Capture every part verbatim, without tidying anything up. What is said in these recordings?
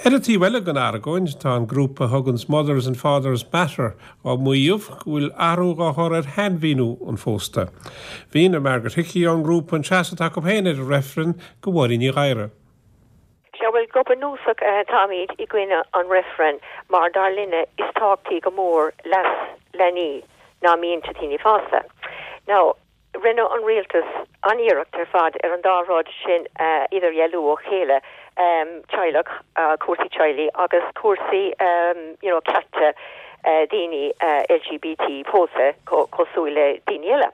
Ar an taobh eile den argóint tá an grúpa thuganns Mothers and Fathers Matter á maíomh go bhfuil athrú á chur ar shainmhíniú an phósta. Mhínigh Margaret Hickey ón ngrúpa an seasamh acu féin ar an reifreann do Mháirín Ní Ghadhra. Sea bhuel go bunúsach táimid i gcoinne an reifreann mar dar linne is tábhachtaí go mór leas leanaí ná mianta daoine fásta. Now, rinne an rialtas an iarracht ar fad ar an dá rud sin uh, idirdhealú ó chéile um, teaghlach uh, cúrsaí teaghlaigh agus cúrsaí um, you know, cearta uh, daoine uh, LGBT pósadh cosúil le daoine eile.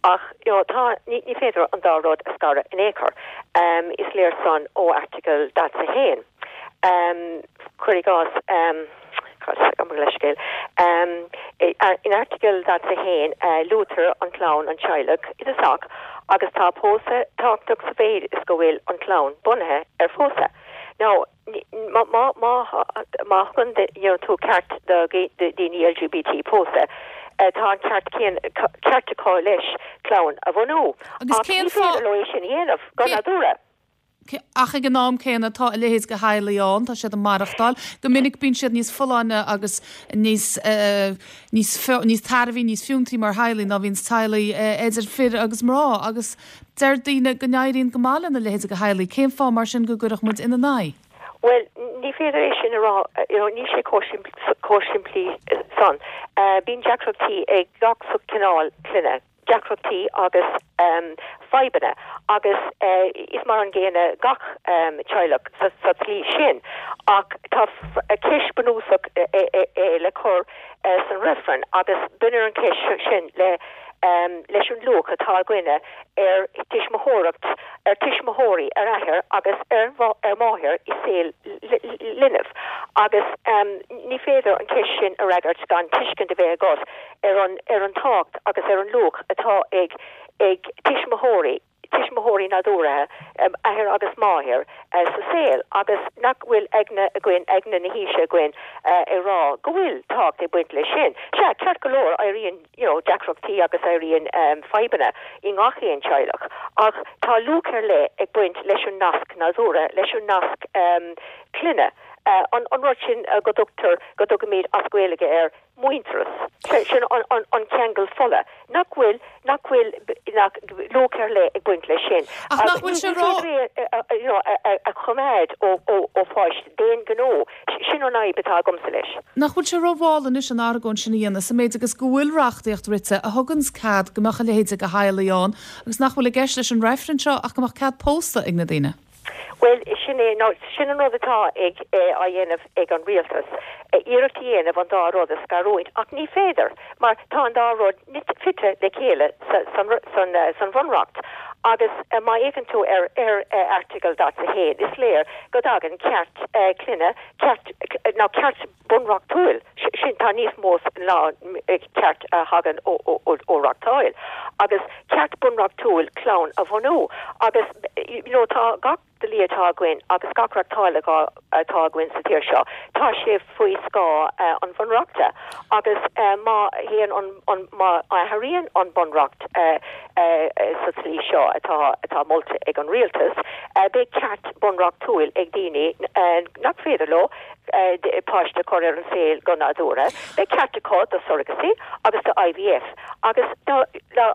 Ach you know, tá ní, ní féidir an dá rud a scaradh in aon chor. Um, is léir san ó Airteagal daichead a haon. Um, Cuir i gcás um, leithscéal. Um, in Airteagal daichead a haon uh, luaitear an chlann an teaghlach i dtosach agus tá pósadh tábhachtach sa mhéid is go bhfuil an chlann bunaithe ar phósadh. Now má má má má thugann tú ceart do daoine LGBT pósadh. Uh, tá an ceart ceart acu leis clann a bhunú. Agus cén fáth le sin dhéanamh go nádúrtha. ach ag an am céanna tá a leithéid de theaghlaigh ann tá siad ag maireachtáil, go minic bíonn siad níos folláine agus níos uh, níos níos tairbhí níos fiúntaí mar theaghlaigh ná bhíonn teaghlaigh uh, idir fir agus mná agus deir daoine go n-éiríonn go maith lena leithéid de theaghlaigh, cén fáth mar sin go gcuirfeadh muid ina n-aghaidh? Well, ní féidir é sin a rá ní sé chomh simplí san. Uh, Bíonn deacrachtaí ag gach cineál clainne deacrachtaí agus um, fadhbanna agus uh, is mar an gcéanna gach um, teaghlach sa, sa tslí sin ach tá ceist bunúsach e, e, e, le cur uh, san reifreann agus baineann an cheist sin le um, leis an luach atá againne ar tuismitheoireacht ar tuismitheoirí ar athair agus ar ar máthair i saol linbh agus um, ní féidir an ceist sin a fhreagairt gan tuiscint a bheith agat ar an ar an tábhacht agus ar an luach atá ag ag tuismitheoirí tuismitheoirí nádúrtha um, athair agus máthair uh, sa saol agus nach bhfuil aigne againn aigne na haoise againn uh, ag rá go bhfuil tábhacht ag baint leis sin. Sea ceart go leor éiríonn you know, deacrachtaí agus éiríonn um, fadhbanna i ngach aon teaghlach. Ach tá luach ar leith ag baint leis an nasc nádúrtha leis an nasc um, clainne. Uh, an, an rud sin uh, go dtugtar go dtugaimid as Gaeilge ar muintearas sin an, an, an ceangal fola nach bhfuil nach bhfuil nach luach ar leith ag baint leis sin Ach nach bhfuil sé rá a choimeád ó ó pháiste d'aon ghnó sin an fhadhb atá agamsa leis. Nach bhfuil sé rómhall anois an argóint sin a dhéanamh sa méid agus go bhfuil reachtaíocht rite a thugann cead go mbeadh a leithéid de theaghlaigh ann agus nach bhfuil i gceist leis an reifreann seo ach go mbeadh cead pósta ag na daoine. Well sin é no, sin an rud atá ag eh, á dhéanamh ag an rialtas. Eh, iarracht a dhéanamh an dá rud a scarúint ach ní féidir mar tá an dá rud fite le chéile san, san, eh, san bhunreacht. agus uh, má fhéachann tú ar ar uh, Airteagal daichead a haon is léir go dtagann ceart uh, clainne ceart ná ceart bunreachtúil sin tá níos mó ná ceart a thagann ó ó reachtáil agus ceart bunreachtúil clann a bhunú agus you know, tá gach dlí atá againn agus gach reachtáil atá againn sa tír seo. Tá sé faoi scáth uh, an bhunreachta agus uh, má théann an, an má athraíonn an bunreacht uh, uh, sa tslí seo atá atá molta ag an rialtas, uh, beidh ceart bunreachtúil ag daoine uh, nach féidir leo uh, páiste chur ar an saol go nádúrtha, beidh ceart acu do surrogacy agus do IVF agus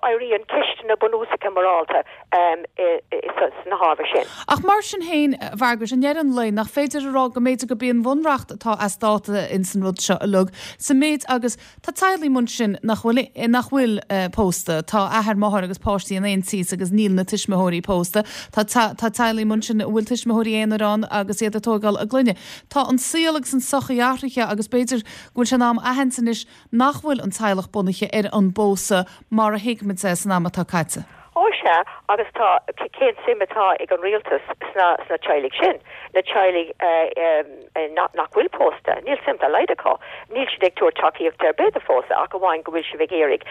éiríonn ceisteanna bunúsacha morálta um, sna hábhair sin. Ach mar sin féin Mhargaret i ndeireadh an lae nach féidir a rá go mb'fhéidir gurb é an bunreacht atá as dáta in san rud seo uilig sa méid agus tá teaghlaigh mar sin nach bhfuil nach bhfuil uh, pósta tá athair máthair agus páistí in aon teach agus níl na tuismitheoirí pósta Tá tá teaghlaigh mar sin bhfuil tuismitheoirí aonair ann agus iad ag tógáil a gclainne. Tá an saol agus an sochaí athraithe agus b'fhéidir go bhfuil sé in am a aithint anois nach bhfuil an teaghlach bunaithe ar an bpósadh mar a thuigimid é san am atá caite. Ó sea agus tá cén suim atá ag an rialtas sna sna teaghlaigh sin na teaghlaigh nach nach bhfuil pósta níl suim dá laghad acu níl siad ag tabhairt tacaíocht ar bith do phósadh ach amháin go bhfuil siad ag iarraidh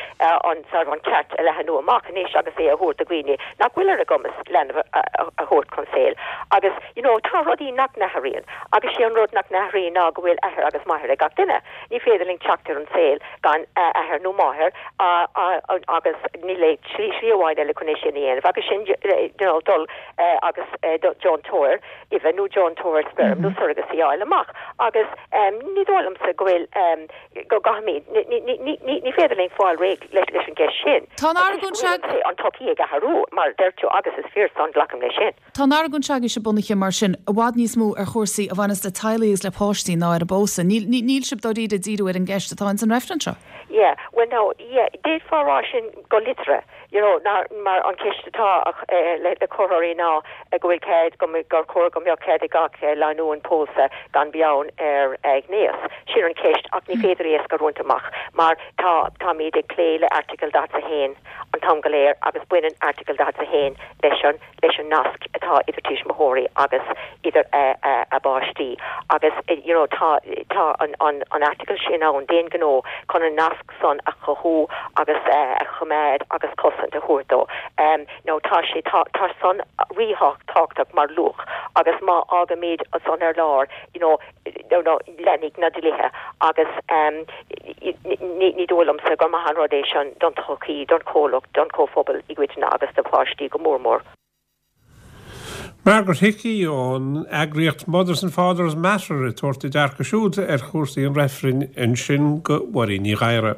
an sar an ceart a leathnú amach anois agus é a thabhairt do dhaoine nach bhfuil ar a gcumas leanbh a thabhairt chun saoil agus you know tá rudaí nach n-athraíonn agus sé an rud nach n-athraíonn ná go bhfuil athair agus máthair ag gach duine ní féidir linn teacht ar an saol gan athair nó máthair agus níl slí slí amháin eile chun é sin a dhéanamh agus sin you know, dul uh, agus uh, deontóir uibhe nó deontóir speirm nó surrogacy a fháil amach agus ní dóigh liomsa go bhfuil go gcaithfimid ní féidir linn fáil réidh leis leis an gceist sin. Tá an argóint seo an tsochaí ag athrú mar deir tú agus is fíor san glacaim leis sin. Tá an argóint seo agaibhse bunaithe mar sin i bhfad níos mó ar chúrsaí a bhaineas le teaghlaigh agus le páistí ná ar an bpósadh. Níl sibh dáiríre ag díriú ar an gceist atá ins an reifreann seo. Yeah, well no, yeah, d'fhéadfá rá sin go liteartha, you know, ná mar an ceist atá eh, le le comhairleoirí ná eh, go bhfuil cead go gur chóir go mbeadh cead ag gach eh, lánúin pósadh gan beann ar ghnéas. Sin an ceist ach ní féidir é a scarúint amach mar tá táimid ag plé le Airteagal daichead a haon an t-am go léir agus baineann Airteagal daichead a haon leis an leis an nasc atá idir tuismitheoirí agus idir a bpáistí agus you know, tá tá an an an Airteagal sin ann d'aon ghnó chun an nasc san a chothú agus uh, a choimeád agus cosaint a thabhairt dó. Um, no tá sé tá, tá san ríthábhachtach mar luach agus má fhágaimid san ar lár you know, no, no, leanfaidh na dlíthe agus um, ní dóigh liomsa gur maith an rud é sin don tsochaí, don chomhlacht, don chomhphobal i gcoitinne agus do pháistí go mór mór. Margaret Hickey ón eagraíocht Mothers and Fathers Matter ag tabhairt a dearcadh siúd ar chúrsaí an reifrinn ansin go Mháirín Ní Ghadhra.